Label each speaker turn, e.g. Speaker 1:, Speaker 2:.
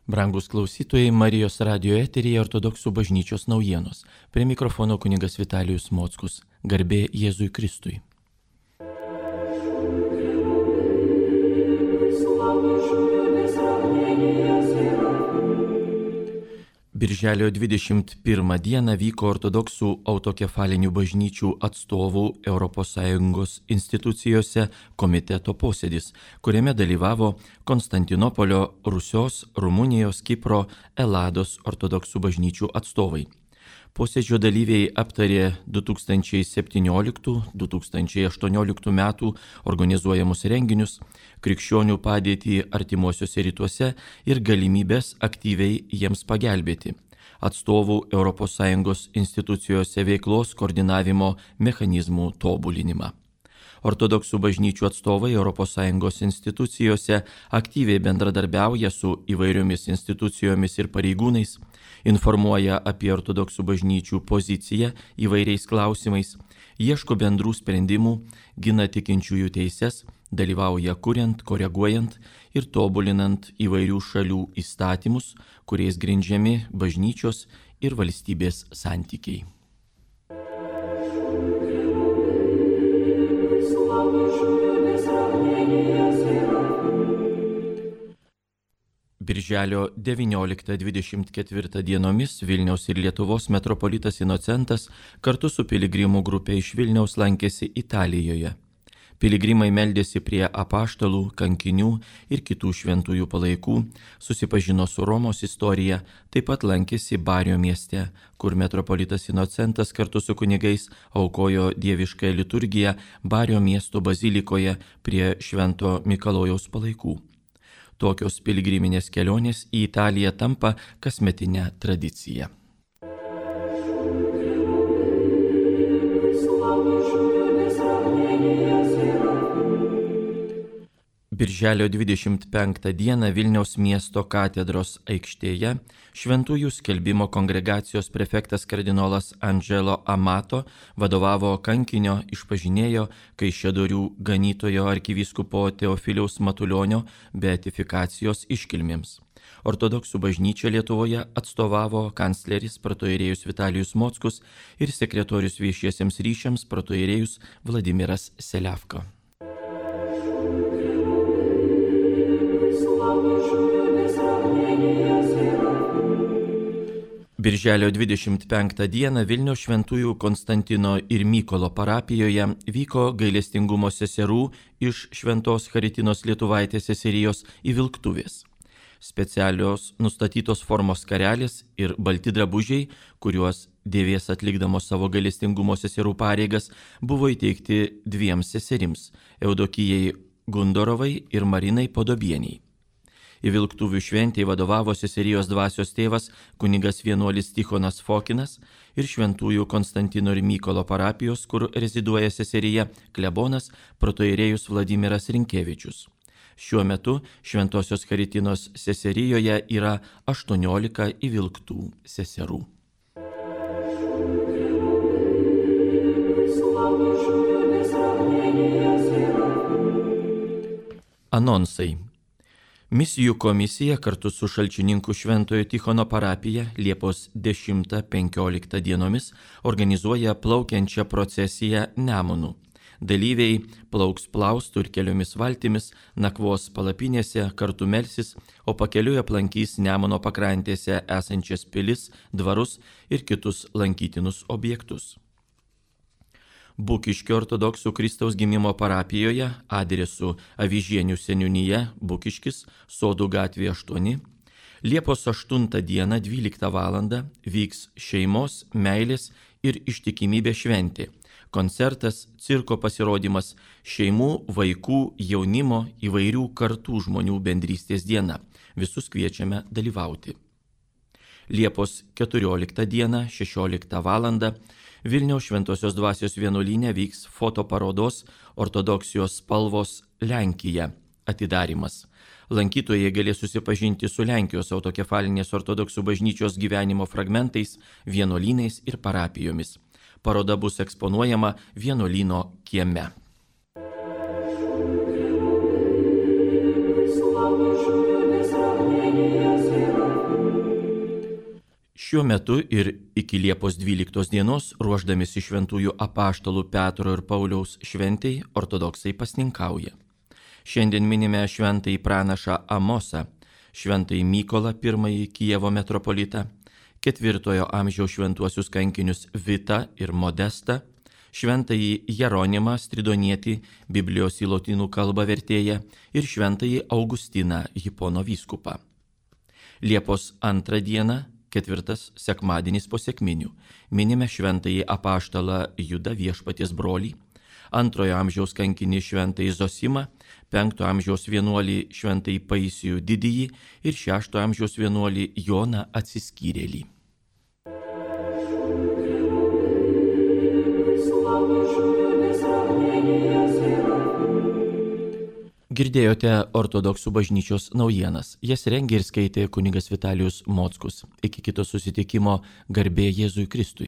Speaker 1: Brangus klausytojai, Marijos radio eteryje Ortodoksų bažnyčios naujienos. Prie mikrofono kunigas Vitalijus Mockus. Garbė Jėzui Kristui. Birželio 21 dieną vyko ortodoksų autokefalinių bažnyčių atstovų ES institucijose komiteto posėdis, kuriame dalyvavo Konstantinopolio, Rusios, Rumunijos, Kipro, Elados ortodoksų bažnyčių atstovai. Posėdžio dalyviai aptarė 2017-2018 metų organizuojamus renginius, krikščionių padėtį artimuosiuose rytuose ir galimybės aktyviai jiems pagelbėti, atstovų ES institucijose veiklos koordinavimo mechanizmų tobulinimą. Ortodoksų bažnyčių atstovai ES institucijose aktyviai bendradarbiauja su įvairiomis institucijomis ir pareigūnais, informuoja apie ortodoksų bažnyčių poziciją įvairiais klausimais, ieško bendrų sprendimų, gina tikinčiųjų teises, dalyvauja kuriant, koreguojant ir tobulinant įvairių šalių įstatymus, kuriais grindžiami bažnyčios ir valstybės santykiai. Birželio 19-24 dienomis Vilniaus ir Lietuvos metropolitas Inocentas kartu su piligrimų grupė iš Vilniaus lankėsi Italijoje. Piligrimai meldėsi prie apaštalų, kankinių ir kitų šventųjų palaikų, susipažino su Romos istorija, taip pat lankėsi Bario mieste, kur metropolitas Inocentas kartu su kunigais aukojo dieviškąją liturgiją Bario miesto bazilikoje prie Švento Mikalojaus palaikų. Tokios piligriminės kelionės į Italiją tampa kasmetinė tradicija. Birželio 25 dieną Vilniaus miesto katedros aikštėje Šventųjų skelbimo kongregacijos prefektas kardinolas Angelo Amato vadovavo kankinio išpažinėjo Kaišiadorių ganytojo arkivyskupo Teofiliaus Matulionio beatifikacijos iškilmėms. Ortodoksų bažnyčia Lietuvoje atstovavo kancleris protoierėjus Vitalijus Mockus ir sekretorius viešiesiems ryšiams protoierėjus Vladimiras Seliavka. Birželio 25 dieną Vilniaus šventųjų Konstantino ir Mykolo parapijoje vyko gailestingumo seserų iš Šventos Charitinos Lietuvaitės seserijos įvilktuvės. Specialios nustatytos formos skarelės ir balti drabužiai, kuriuos dėvės atlikdamos savo gailestingumo seserų pareigas, buvo įteikti dviem seserims – Eudokijai Gundorovai ir Marinai Podobieniai. Įvilktuvių šventėje vadovavo seserijos dvasios tėvas kunigas vienuolis Tichonas Fokinas ir šventųjų Konstantino ir Mykolo parapijos, kur reziduoja seserija, klebonas protoierėjus Vladimiras Rinkevičius. Šiuo metu Šventosios Charitinos seserijoje yra 18 įvilktų seserų. Anonsai. Misijų komisija kartu su Šalčininkų Šventojo Tichono parapija Liepos 10-15 dienomis organizuoja plaukiančią procesiją Nemunu. Dalyviai plauks plaustų ir keliomis valtimis, nakvos palapinėse, kartu melsis, o pakeliui aplankys Nemuno pakrantėse esančias pilis, dvarus ir kitus lankytinus objektus. Bukiškio ortodoksų Kristaus gimimo parapijoje adresu Avižienių seniūnija, Bukiškis, Sodų gatvė 8, Liepos 8 dieną 12 val. Vyks šeimos, meilės ir ištikimybės šventė. Koncertas, cirko pasirodymas, šeimų, vaikų, jaunimo, įvairių kartų žmonių bendrystės diena. Visus kviečiame dalyvauti. Liepos 14 dieną 16 val. Vilniaus Šventosios dvasios vienuolyne vyks fotoparodos Ortodoksijos spalvos Lenkija atidarymas. Lankytojai galės susipažinti su Lenkijos autokefalinės ortodoksų bažnyčios gyvenimo fragmentais, vienuolynais ir parapijomis. Paroda bus eksponuojama vienuolyno kieme.
Speaker 2: Слава
Speaker 1: Šiuo metu ir iki Liepos 12 dienos, ruošdamėsi šventųjų apaštalų Petro ir Pauliaus šventei, ortodoksai pasninkauja. Šiandien minime šventąjį pranašą Amosą, šventąjį Mykolą I Kijevo metropolitą, 4 amžiaus šventuosius kankinius Vitą ir Modestą, šventąjį Jeronimą Stridonietį, Biblijos į lotynų kalbą vertėją ir šventąjį Augustiną Hipono vyskupą. Liepos 2 dieną, 4 sekmadienis po sekminių, minime šventąjį apaštalą Judą Viešpaties brolį, 2 amžiaus kankinį šventąjį Zosimą, 5 amžiaus vienuolį šventąjį Paisijų didįjį ir 6 amžiaus vienuolį Joną Atsiskyrėlį. Girdėjote ortodoksų bažnyčios naujienas. Jas rengė ir skaitė kunigas Vitalijus Mockus. Iki kito susitikimo, garbė Jėzui Kristui.